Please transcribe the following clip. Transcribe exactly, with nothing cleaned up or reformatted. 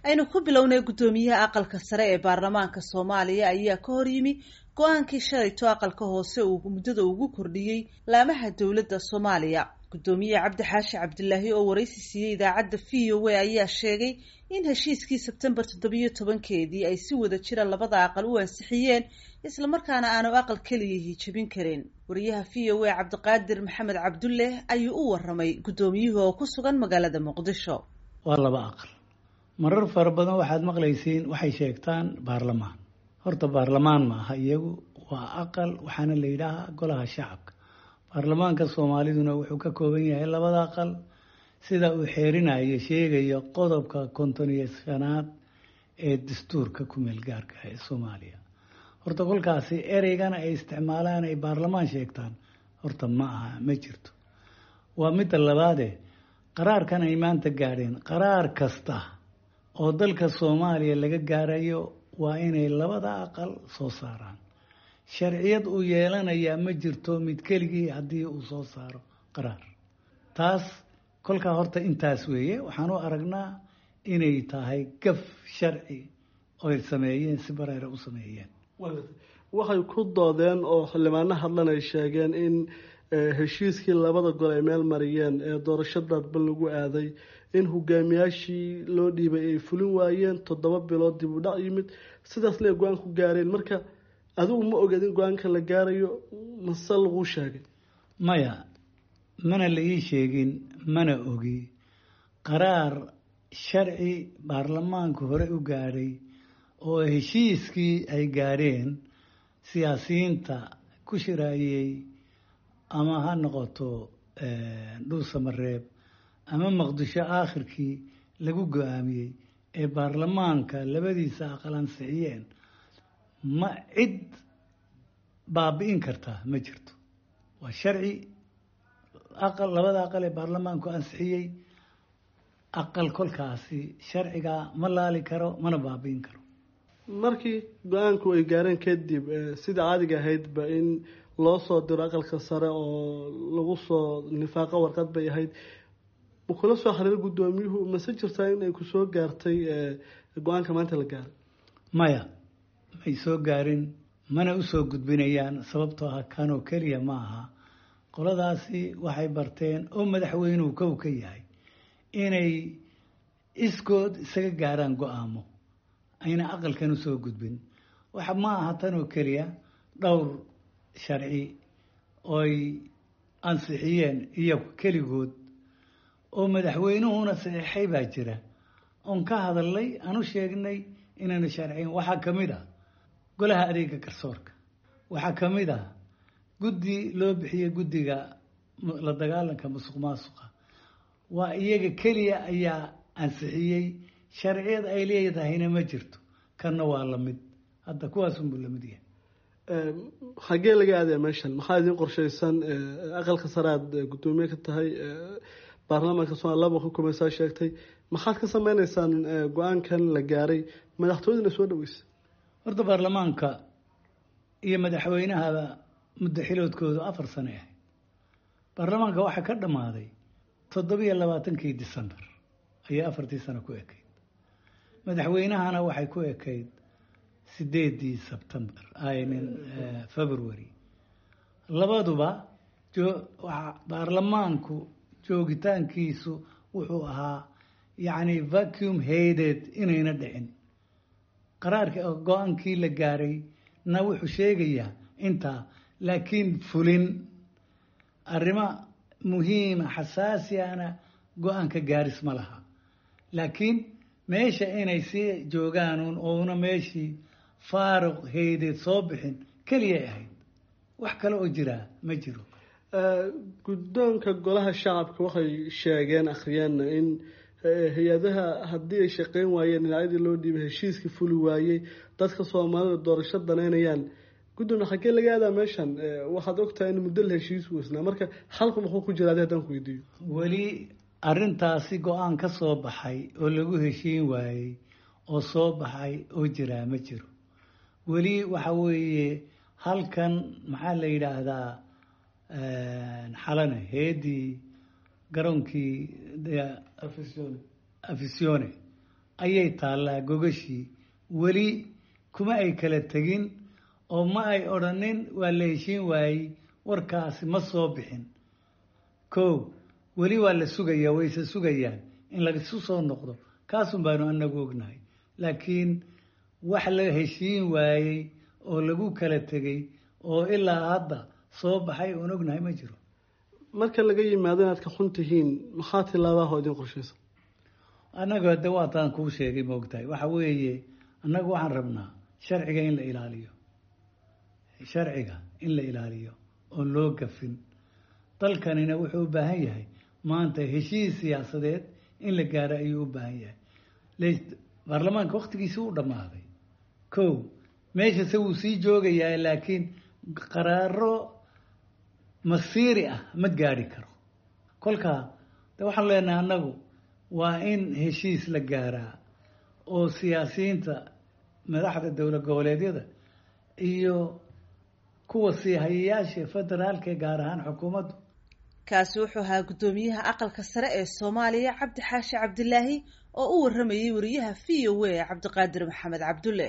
Aynu ku bilownay, guddoomiyaha aqalka sare ee baarlamaanka Soomaaliya ayaa ka hor yimi go-aankii shalayto aqalka hoose uu muddada ugu kordhiyey laamaha dowladda Soomaaliya. Guddoomiye Cabdi Xaashi Cabdilaahi oo waraysi siiyey idaacadda V O A ayaa sheegay in heshiiskii Sebtembar toddobiyo tobankeedii ay si wada jira labada aqal u ansixiyeen, islamarkaana aanu aqal keliyihii jebin karin. Wariyaha V O A Cabdiqaadir Maxamed Cabdulle ayuu u waramay guddoomiyuhu oo ku sugan magaalada Muqdisho. Waa laba aqal. Marar fara badan waxaad maqlaysiin waxay sheegtaan baarlamaan. Horta baarlamaan ma aha, iyagu waa aqal, waxaana la yidhaahaa golaha shacabka. Baarlamaanka Soomaaliduna wuxuu ka kooban yahay labada aqal, sida uu xeerinayo sheegayo qodobka konton iyo shanaad ee dastuurka kumeel gaarka ee Soomaaliya. Horta kolkaasi ereygana ay isticmaalaan ay baarlamaan sheegtaan horta ma aha, ma jirto. Waa midda labaade, qaraarkan ay maanta gaadheen, qaraar kasta oo dalka Soomaaliya laga gaarayo waa inay labada aqal soo saaraan. Sharciyad uu yeelanayaa ma jirto mid keligii haddii uu soo saaro qaraar. Taas kolkaa horta intaas weeye. Waxaan u aragnaa inay tahay gaf sharci oy sameeyeen, si bareera u sameeyeen. Waxay ku doodeen oo xildhibaano hadlan ay sheegeen in heshiiskii labada gol ay meel mariyeen ee doorasho dadban lagu aaday in hogaamiyaashii loo dhiibay ay fulin waayeen, toddoba bilood dib u dhac yimid, sidaasna ay go-aan ku gaareen. Marka adigu ma ogeed in go-aanka la gaarayo mase laguu sheegay? Maya, mana la ii sheegin, mana ogi. Qaraar sharci baarlamaanku hore u gaadhay oo heshiiskii ay gaadheen siyaasiyiinta ku shiraayey, ama ha noqoto Dhuusamareeb ama Muqdisho, aakhirkii lagu go-aamiyey ee baarlamaanka labadiisa aqal ansixiyeen, ma cid baabi'in kartaa ma jirto. Waa sharci aqal labada aqal ee baarlamaanku ansixiyey. Aqal kolkaasi sharcigaa ma laali karo mana baabi'in karo. Markii go-aanku ay gaareen kadib, sida caadiga ahaydba in loo soo diro aqalka sare oo lagu soo nifaaqo warqad bay ahayd. Ma kula soo xiriir guddoomiyuhu mase jirtaa in ay kusoo gaartay go-aanka maanta la gaaray? Maya, may soo gaarin, mana usoo gudbinayaan, sababtoo ah kanoo keliya ma aha. Qoladaasi waxay barteen oo madaxweynuhu kow ka yahay inay iskood isaga gaaraan go-aamo ayna aqalkan usoo gudbin. Waxa ma aha tanoo keliya, dhowr sharci ooy ansixiyeen iyagu keligood oo madaxweynuhuna saxiixay baa jira oon ka hadalnay, aan u sheegnay inaanu sharciyin. Waxaa ka mid ah golaha adeega garsoorka, waxaa ka mid ah guddi loo bixiyey guddiga la dagaalanka musuq maasuqa. Waa iyaga keliya ayaa ansixiyey, sharciyad ay leedahayna ma jirto. Kanna waa lamid, hadda kuwaasunbuu lamid yahay. Xagee laga aadaya meeshan? Maxaa idiin qorshaysan? Aqalka sare aad guddoomiye ka tahay, baarlamaanka Somalia laba xukumaysaa sheegtay, maxaad ka sameyneysaan go-aankan la gaaray, madaxtooyadana soo dhaweysa? Horta baarlamaanka iyo madaxweynahaba muddo xiloodkoodu afar sano ahayd. Baarlamaanka waxaa ka dhammaaday toddobiyo labaatankii December ayay afartii sano ku ekayd. Madaxweynahana waxay ku ekayd sideedii Sebtembar, I mean February. Labaduba baarlamaanku joogitaankiisu wuxuu ahaa yacni vacuum haydeed inayna dhicin. Qaraarka go-aankii la gaaray na wuxuu sheegayaa intaa, laakiin fulin arrimo muhiima xasaasi ahna go-aanka gaaris ma laha. Laakiin meesha inay sii joogaan oona meeshii faaruq haydeed soo bixin keliyay ahayd, wax kale oo jiraa ma jiro. Guddoonka golaha shacabka waxay sheegeen, akhriyeenna, in hay-adaha haddii ay shaqeyn waayeen, dhinacyadii loo dhiibay heshiiskii fuli waayey, dadka Soomaalida doorasho danaynayaan. Gudoomiye, xaggee laga aadaa meeshan? Waxaad ogtahay in muddo la heshiis weysnaa, marka xalku muxuu ku jira adi haddaan ku weydiiyo? Weli arrintaasi go-aan ka soo baxay oo lagu heshiin waayey oo soo baxay oo jiraa ma jiro weli. Waxa weeye halkan maxaa la yidhaahdaa, Xalane heedii garoonkii Afisione ayay taallaa gogashii. Weli kuma ay kala tegin oo ma ay odhanin waa la heshiin waayey, warkaasi ma soo bixin. Kow, weli waa la sugayaa, wayse sugayaan in laisu soo noqdo, kaasun baanu anagu ognahay. Laakiin wax la heshiin waayey oo lagu kala tegey oo ilaa hadda soo baxay oon ognahay ma jiro. Marka laga yimaado inaad ka xun tihiin, maxaa tilaabaha oo idin qorshaysa? Annagu hadde waataan kuu sheegay, maogtahay, waxa weeye annagu waxaan rabnaa sharciga in la ilaaliyo, sharciga in la ilaaliyo oon loo gafin. Dalkanina wuxuu u baahan yahay maanta heshiis siyaasadeed in la gaaro ayuu u baahan yahay. Baarlamaanka waktigiisi u dhammaaday, kow, meeshase wuu sii joogayaa, laakiin qaraaro masiiri ah ma gaadhi karo. Kolkaa de waxaan leenahay annagu waa in heshiis la gaaraa oo siyaasiyiinta madaxda dowlad goboleedyada iyo kuwa siihayayaasha federaalka, gaar ahaan xukuumaddu. Kaasi wuxuu ahaa guddoomiyaha aqalka sare ee Soomaaliya Cabdi Xaashi Cabdilaahi oo u waramayay wariyaha V O A Cabdiqaadir Maxamed Cabdulle.